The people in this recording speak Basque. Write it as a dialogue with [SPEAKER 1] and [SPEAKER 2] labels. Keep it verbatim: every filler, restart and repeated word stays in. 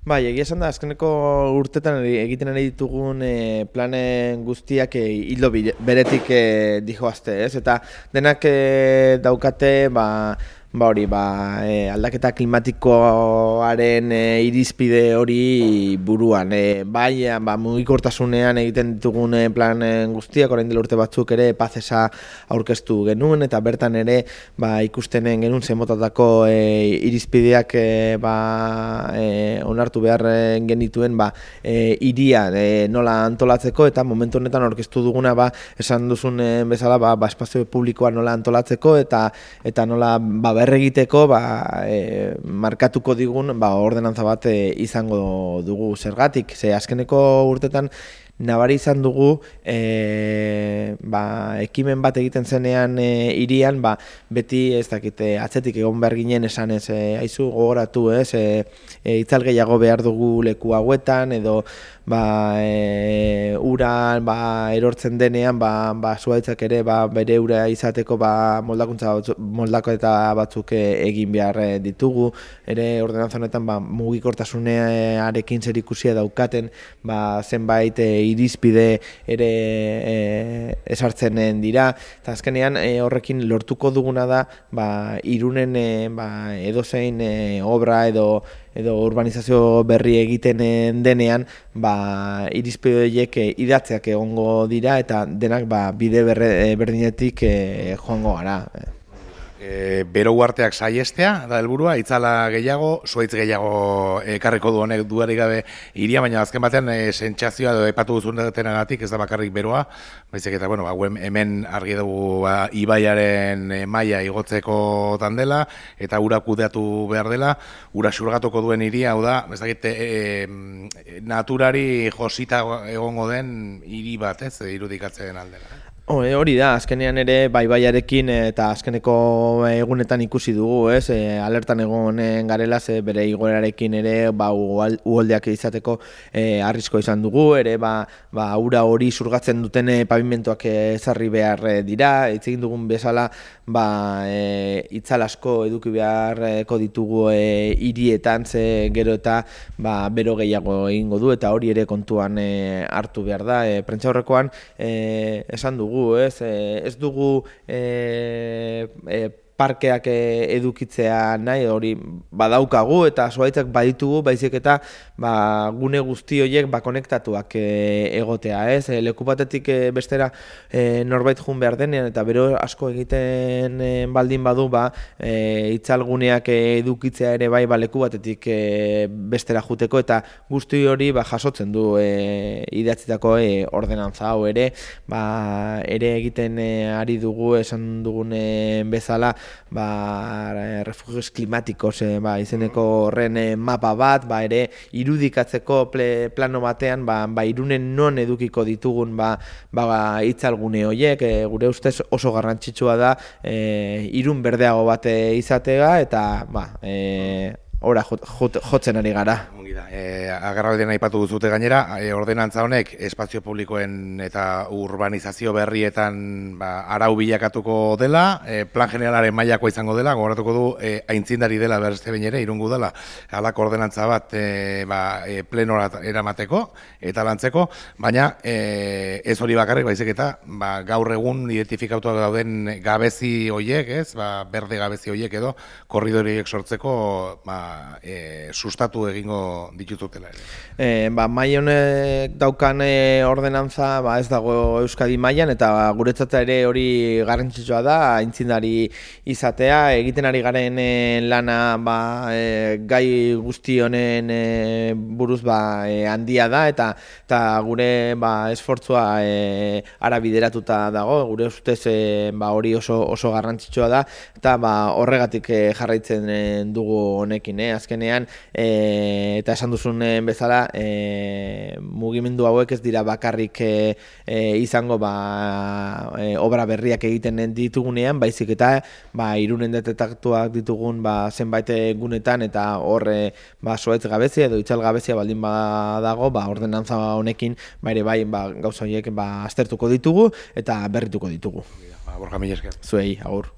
[SPEAKER 1] Bai, egia esan da, azkeneko urtetan egiten ari ditugun e, planen guztiak e, hildo beretik e, dijoazte, ez? Eta denak e, daukate, ba, ba hori, ba, e, aldaketa klimatikoaren e, irizpide hori buruan. E, bai, ba, mugikortasunean egiten ditugun e, planen guztiak, orain dela urte batzuk ere, pazesa aurkeztu genuen, eta bertan ere, ba, ikustenen genuen zemotatako e, irizpideak e, ba, e, onartu behar genituen ba, e, iria e, nola antolatzeko, eta momentu honetan aurkeztu duguna ba, esan duzun e, bezala ba, ba, espazio publikoa nola antolatzeko eta eta nola ba, berregiteko ba, e, markatuko digun ba, ordenantza bat e, izango dugu zergatik. Ze azkeneko urtetan nabari izan dugu e, ba, ekimen bat egiten zenean e, irian, ba, beti ez dakite atzetik egon behar ginen esan ez, e, aizu gogoratu ez, e, e, itzal gehiago behar dugu leku hauetan, edo ba, e, ura ba, erortzen denean, ba, ba, zuaitzak ere ba, bere ura izateko ba, moldakuntza batzuk, moldako eta batzuk e, egin behar e, ditugu, ere ordenantza honetan ba, mugikortasunearekin zerikusia daukaten ba, zenbait e, irizpide ere e, esartzen dira, eta azkenean e, horrekin lortuko duguna da ba, Irunen e, ba, edozein e, obra edo edo urbanizazio berri egiten denean, ba, irizpide horiek e, idatzeak egongo dira eta denak ba, bide berre, berdinetik e, joango gara.
[SPEAKER 2] E, bero uarteak saiestea da helburua, itzala gehiago, zuaitz gehiago ekarriko du honek duari gabe iria, baina azken batean e, sentsazioa edo epatu duzunagatik ez da bakarrik beroa, baizik eta bueno, ba, hemen argi dugu ba, ibaiaren e, maila igotzeko dela eta ura kudeatu behar dela, ura xurgatuko duen iria, hau da, ez dakit, e, e, naturari josita egongo den hiri bat, ez, irudikatzen aldera.
[SPEAKER 1] Hori da, azkenean ere baibaiarekin eta azkeneko egunetan ikusi dugu, ez, e, alertan egonen garela, ze bere igoerarekin ere ba, uholdeak izateko e, arrisko izan dugu, ere ba, ba, ura hori zurgatzen duten pavimentoak ezarri behar dira, hitz egin dugun bezala ba, e, itzal asko eduki beharko ditugu e, hirietan, ze gero eta ba, bero gehiago egingo du, eta hori ere kontuan e, hartu behar da. E, prentsaurrekoan e, esan dugu, Ez, ez dugu e, e, parkeak edukitzea nahi, hori badaukagu eta zuaitzak baditugu, baizik eta ba, gune guzti horiek ba, konektatuak e, egotea. Ez? E, leku batetik e, bestera e, norbait jun behar denean eta bero asko egiten e, baldin badu ba, e, itzalguneak edukitzea ere bai ba, leku batetik e, bestera juteko eta guzti hori ba, jasotzen du e, idatzitako e, ordenantza hau ere, ba, ere egiten e, ari dugu esan dugun e, bezala ba, refugios klimatikos e, ba, izeneko horren e, mapa bat, ba, ere irudikatzeko ple, plano batean ba, ba, Irunen non edukiko ditugun ba, ba, itzalgune horiek, e, gure ustez oso garrantzitsua da e, Irun berdeago bat izatea eta ba, e, ora jotzen ari gara.
[SPEAKER 2] E, agerraldian aipatu duzute gainera, e, ordenantza honek espazio publikoen eta urbanizazio berrietan ba, arau bilakatuko dela, e, plan generalaren mailakoa izango dela, gogoratuko du e, aintzindari dela berste behin ere, irungu dela, halako ordenantza bat e, ba, e, plenora eramateko eta lantzeko, baina e, ez hori bakarrik, baizik eta ba, gaur egun identifikatuak dauden gabezi hoiek, ez, ba, berde gabezi hoiek edo, korridoriek sortzeko ba, e, sustatu egingo dituzutela ere.
[SPEAKER 1] E, ba, mai honek daukan e, ordenantza ba, ez dago Euskadi mailan eta ba, guretzat ere hori garrantzitsua da, aintzindari izatea, egiten ari garen e, lana ba, e, gai guzti honen e, buruz ba, e, handia da eta, eta gure ba, esfortzua e, ara bideratuta dago, gure ustez e, ba, hori oso, oso garrantzitsua da eta ba, horregatik e, jarraitzen e, dugu honekin, eh? Azkenean e, eta esan duzun bezala e, mugimendu hauek ez dira bakarrik e, e, izango ba, e, obra berriak egiten ditugunean, baizik eta ba, Irunen detektatuak ditugun ba, zenbait gunetan eta hor e, ba, zuaitz gabezia edo itzal gabezia baldin badago ba, ordenantza honekin ba, ere bai ba, gauza horiek ba, aztertuko ditugu eta berrituko ditugu.
[SPEAKER 2] Ba, Borja, mila esker.
[SPEAKER 1] Zuei, agur.